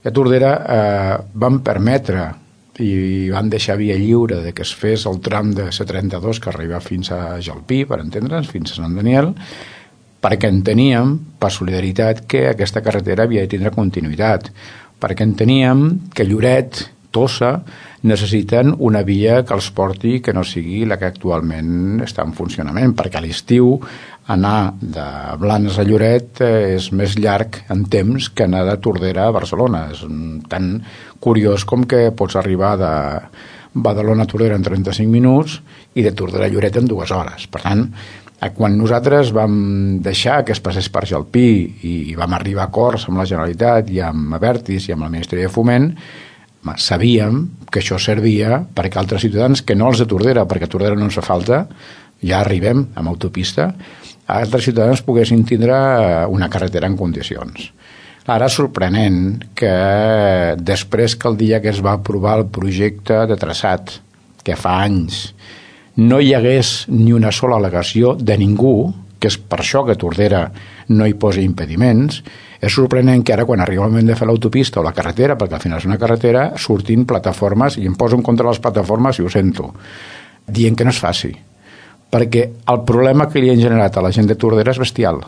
A Tordera van permetre i van deixar via lliure de que es fes el tram de C32 que arriba fins a Jalpí, per entendre'ns, fins a Sant Daniel, perquè enteníem, per solidaritat, que aquesta carretera havia de tindre continuïtat, perquè enteníem que Lloret, Tossa, necessiten una via que els porti que no sigui la que actualment està en funcionament, perquè a l'estiu anar de Blanes a Lloret és més llarg en temps que anar de Tordera a Barcelona. És tan curiós com que pots arribar de Badalona a Tordera en 35 minuts i de Tordera a Lloret en 2 hores. Per tant, quan nosaltres vam deixar que es passés per Jalpí i vam arribar a acords amb la Generalitat i amb Abertis i amb el Ministeri de Foment, sabíem que això servia perquè altres ciutadans que no els de Tordera, perquè a Tordera no ens fa falta, ja arribem amb autopista, altres ciutadans poguessin tindre una carretera en condicions. Ara és sorprenent que després que el dia que es va aprovar el projecte de traçat, que fa anys, no hi hagués ni una sola al·legació de ningú, que és per això que Tordera no hi posa impediments, és sorprenent que ara quan arriba el moment de fer l'autopista o la carretera, perquè al final és una carretera, surtin plataformes, i em poso en contra de les plataformes i ho sento, dient que no es faci. Perquè el problema que li han generat a la gent de Tordera és bestial.